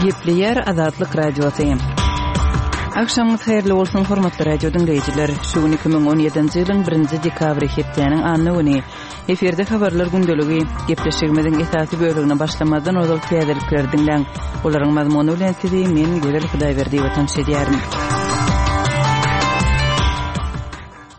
Gepleýär Azatlyk Radiosy. Agşamyňyz haýyrly bolsun, hormatly radio diňleýjiler! Şu gün 2017-nji ýylyň birinji dekabry, hepdäniň anna güni. Efirde habarlar gündeligi. Gepleşigimiziň esasy bölegine başlamazdan ozal täzelikleri diňläň. Olaryň mazmuny bilen sizi men, Gözel Hudaýberdiýewa tanyş edýärin.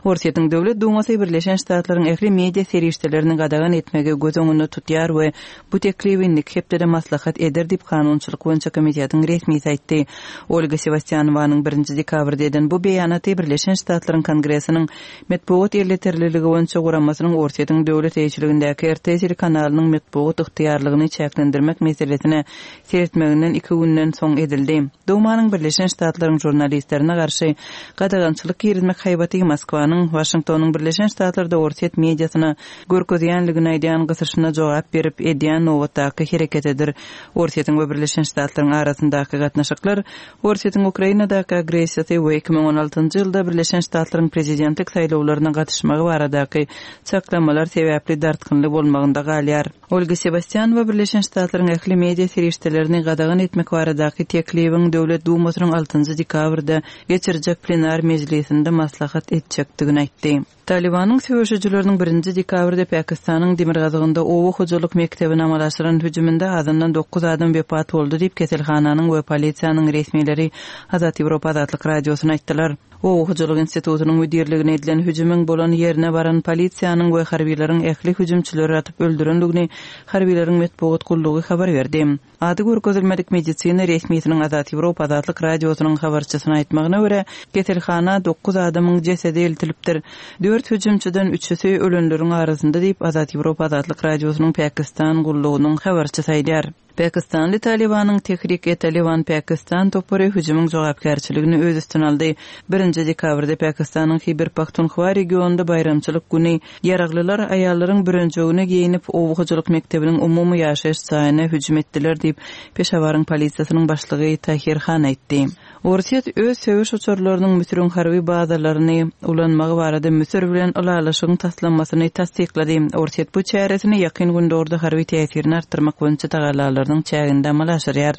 Orsýetiň Döwlet Dumasy Birleşen Ştatlaryň ähli media serişdelerini gadagan etmegi göz öňünde tutýar we bu teklibi indiki hepdede maslahat eder diýip, kanunçylyk boýunça komitetiň resmisi aýtdy. Olga Sewastýanowanyň birinji dekabrda eden bu beýanaty Birleşen Ştatlaryň Kongresiniň Metbugat elýeterliligi boýunça guramasynyň Orsýetiň döwlet eýeçiligindäki RT telekanalynyň metbugat ygtyýarlygyny çäklendirmek meselesine seretmeginden iki günden soň edildi. Dumanyň Birleşen Ştatlaryň žurnalistlerine garşy gadagançylyk girizmek haýbaty Moskwanyň Waşingtonyň Birleşen Ştatlarda orsýet mediasyna görkezýänligini aýdýan gysyşyna jogap berip edýän nobatdaky hereketidir. Orsýetiň we Birleşen Ştatlaryň arasyndaky gatnaşyklar Orsýetiň Ukrainadaky agressiýasy we 2016-njy ýylda Birleşen Ştatlaryň prezidentlik saýlawlaryna gatyşmagy baradaky çaklamalar sebäpli dartgynly bolmagynda galýar. Olga Sewastýanowa Birleşen Ştatlaryň ähli media serişdelerini gadagan etmek baradaky teklibiň Döwlet Dumasynyň altynjy dekabrda geçirjek plenar mejlisinde maslahat etjekdigini aýtdy. Talybanyň söweşijileriniň birinji dekabrda Pakistanyň demirgazygynda oba hojalyk mekdebine amala aşyran hüjüminde azyndan dokuz adam wepat boldy diýip, keselhananyň we polisiýanyň resmileri Azat Ýewropa Azatlyk Radiosyna aýtdylar. Oba hojalyk institutynyň müdirligine edilen hüjümiň bolan ýerine baran polisiýanyň we harbylaryň ähli hüjümçileri atyp öldürendigini harbylaryň metbugat gullugy habar berdi. Ady görkezilmedik medisina resmisiniň Azat Ýewropa Azatlyk Radiosynyň habarçysyna aýtmagyna görä, keselhana dokuz adamyň jesedi eltilipdir. Dört hüjümçiden üçüsi ölenleriň arasynda diýip, Azat Ýewropa Azatlyk Radiosynyň Pakistan gullugynyň habarçysy aýdýar. Pakistanly Talybanyň Tehrik-e-Taliban Pakistan topary hüjümiň jogapkärçiligini öz üstüne aldy. Birinji dekabrda Pakistanyň Hiber-Pahtunhwa regionynda baýramçylyk güni Ýaraglylar aýallaryň bürenjegini geýnip, oba hojalyk mekdebiniň umumy ýaşaýyş jaýyna hüjüm etdiler diýip, Peşawaryň polisiýasynyň başlygy Tahir Han aýtdy. Orsýet öz söweş uçarlarynyň Müsüriň harby bazalaryny ulanmagy barada Müsür bilen ylalaşygyň taslamasyny tassyklady. Orsýet bu çäresini Ýakyn Gündogarda harby täsirini artdyrmak boýunça tagallalarynyň çäginde amala aşyrýar.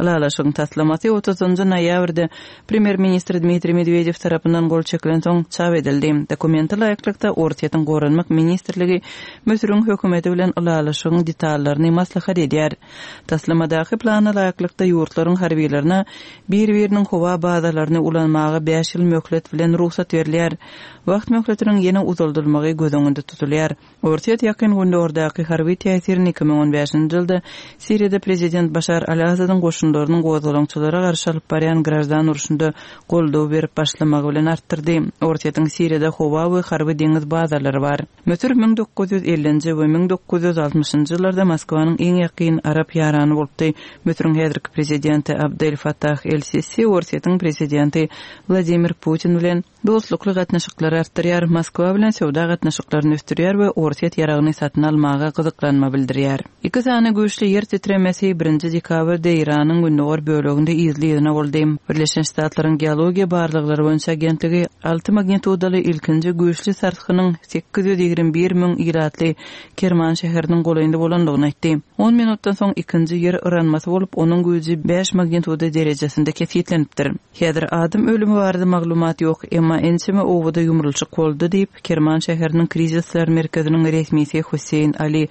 Ylalaşygyň taslamasy otuzynjy noýabrda Premýer-ministr Dmitriý Medwedew tarapyndan gol çekilensoň, çap edildi. Dokumente laýyklykda, Orsýetiň Goranmak ministrligi Müsüriň hökümeti bilen ylalaşygyň detallaryny maslahat edýär. Taslamadaky plana laýyklykda, ýurtlaryň harbylaryna bir-biriniň howa bazalaryny ulanmaga bäş ýyl möhlet bilen rugsat berilýär. Wagt möhletiniň ýene uzaldylmagy göz öňünde tutulýar. Orsýet Ýakyn Gündogardaky harby täsirini 2015-nji ýylda Siriýada prezident Başar al-Asadyň goşunlarynyň gozgalaňçylara garşy alyp barýan graždan urşunda goldaw berip başlamagy bilen artdyrdy. Orsýetiň Siriýada howa we harby-deňiz bazalary bar. Müsür 1950-nji we 1960-njy ýyllarda Moskwanyň iň ýakyn arap ýarany bolupdy. Müsüriň häzirki prezidenti Abdel Fattah el-Sisi Orsýetiň prezidenti Wladimir Putin bilen Dostlukly gatnaşyklary artdyrýar, Moskwa bilen söwda gatnaşyklaryny ösdürýär we orsýet ýaragyny satyn almaga gyzyklanma bildirýär. Iki sany güýçli ýer titremesi birinji dekabrda Eýranyň gündogar böleginde yzly-yzyna boldy. Birleşen Ştatlaryň Geologiýa barlaglary boýunça agentligi alty magnitudaly ilkinji güýçli sarsgynyň 821 müň ilatly Kerman şäheriniň golaýynda bolandygyny aýtdy. On minutdan soň ikinji ýer yranmasy bolup, onuň güýji bäş magnituda derejesinde kesgitlenipdir. Häzir adam ölümi barada maglumat ýok, emma ençeme obada ýumrulyşyk boldy diýip, Kerman şäheriniň krizisler merkeziniň resmisi Husseýn Ali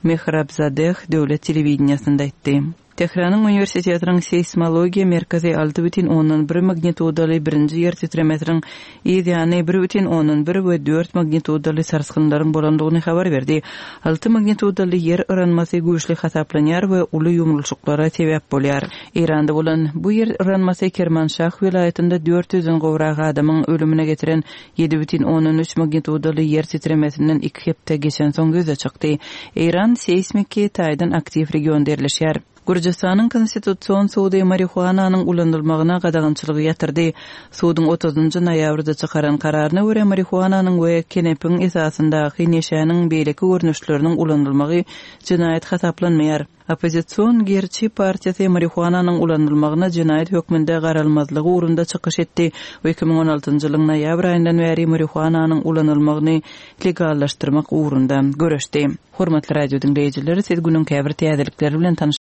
Mehrabzadeh döwlet telewideniýesinde aýtdy. Tähranyň uniwersitetiniň seýsmologiýa merkezi 6,1 magnitudaly birinji ýer titremesiniň yz ýany 1,1 we dört magnitudaly sarsgynlaryň bolandygyny habar berdi. Alty magnitudaly ýer yranmasy güýçli hasaplanýar we uly ýumrulyşyklara sebäp bolýar. Eýranda bolan bu ýer yranmasy Kermanşah welaýatynda dört ýüzden gowrak adamyň ölümine getiren 7,3 magnitudaly ýer titremesinden iki hepde geçensoň ýüze çykdy. Eýran seýsmiki taýdan aktiw regionda ýerleşýär. Gürjüstanyň Konstitusion sudy marihuananyň ulanylmagyna gadagançylygy ýatyrdy. Suduň otuzynjy noýabrda çykaran kararyna görä, marihuananyň we kenepiň esasyndaky neşäniň beýleki görnüşleriniň ulanylmagy jenaýat hasaplanmaýar. Oppozision Gerçi partiýasy marihuananyň ulanylmagyna jenaýat hökmünde garalmazlygy ugrunda çykyş etdi we 2016-njy ýylyň noýabr aýyndan bäri marihuananyň ulanylmagyny legallaşdyrmak ugrunda göreşdi. Hormatly radio diňleýjiler, siz günüň käbir täzelikleri bilen tanyş.